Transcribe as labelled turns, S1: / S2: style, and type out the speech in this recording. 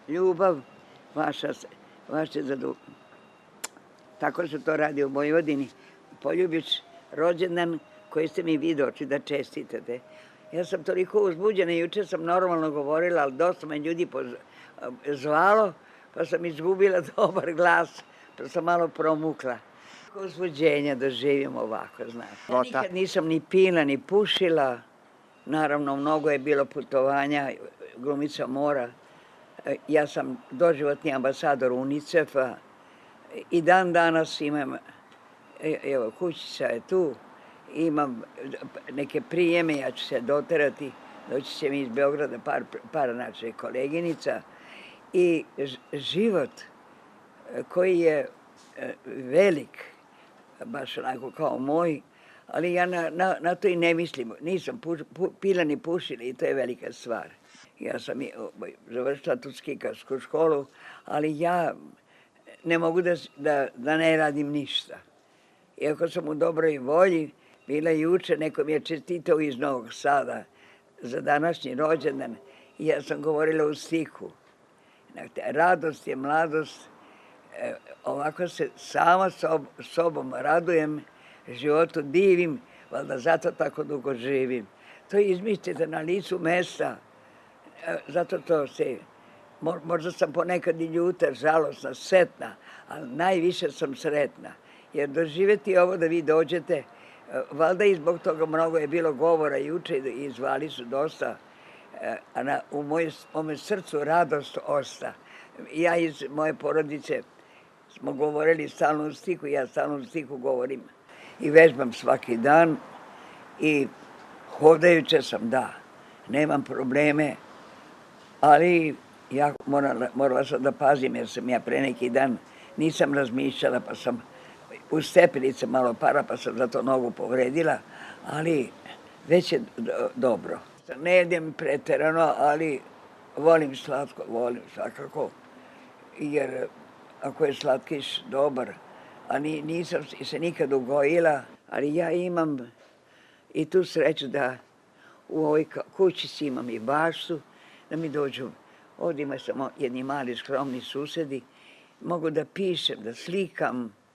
S1: ljubav, vaše tako se to radi u Vojvodini. Poljubiš rođendan koji ste mi vi došli da čestitate. Ja sam toliko uzbuđena, juče sam normalno govorila, ali dosta me ljudi zvalo, pa sam izgubila dobar glas, pa sam malo promukla. Uzbuđenja da živim ovako, znaš. Ja nikad nisam ni pila, ni pušila. Naravno, mnogo je bilo putovanja, glumica mora. Ja sam doživotni ambasador UNICEF-a i dan danas imam, evo, kućica je tu, imam neke prijeme, ja ću se doterati, doći će mi iz Beograda par naših koleginica i život koji je velik, baš onako kao moj, ali ja na to i ne mislim. Nisam pila ni pušila i to je velika stvar. Ja sam završila tu skikarsku školu, ali ja ne mogu da ne radim ništa. Iako sam u dobroj volji, bila juče, neko mi je čestitao iz Novog Sada za današnji rođendan i ja sam govorila u stihu. Radost je mladost, ovako se sama sobom radujem, životu divim, valjda zato tako dugo živim. To izmislite na licu mesta, zato to se, možda sam ponekad i ljuta, žalosna, setna, ali najviše sam sretna. Jer doživjeti ovo da vi dođete, valjda i zbog toga mnogo je bilo govora juče i zvali su dosta, a u mome srcu radost osta. Ja iz moje porodice smo govorili stalno u stihu, ja stalno u stihu govorim i vežbam svaki dan i hodajuće sam, da, nemam probleme, ali ja morala sam da pazim jer sam ja pre neki dan nisam razmišljala pa sam u stepenice malo para pa sam zato nogu povredila, ali već je dobro. Ne jedem preterano, ali volim slatko, volim svakako, jer ako je slatkiš dobar, a nisam se nikad ugojila, ali ja imam i tu sreću da u ovoj kućici imam i baštu, da mi dođu, ovdje ima samo jedni mali skromni susedi, mogu da pišem, da slikam,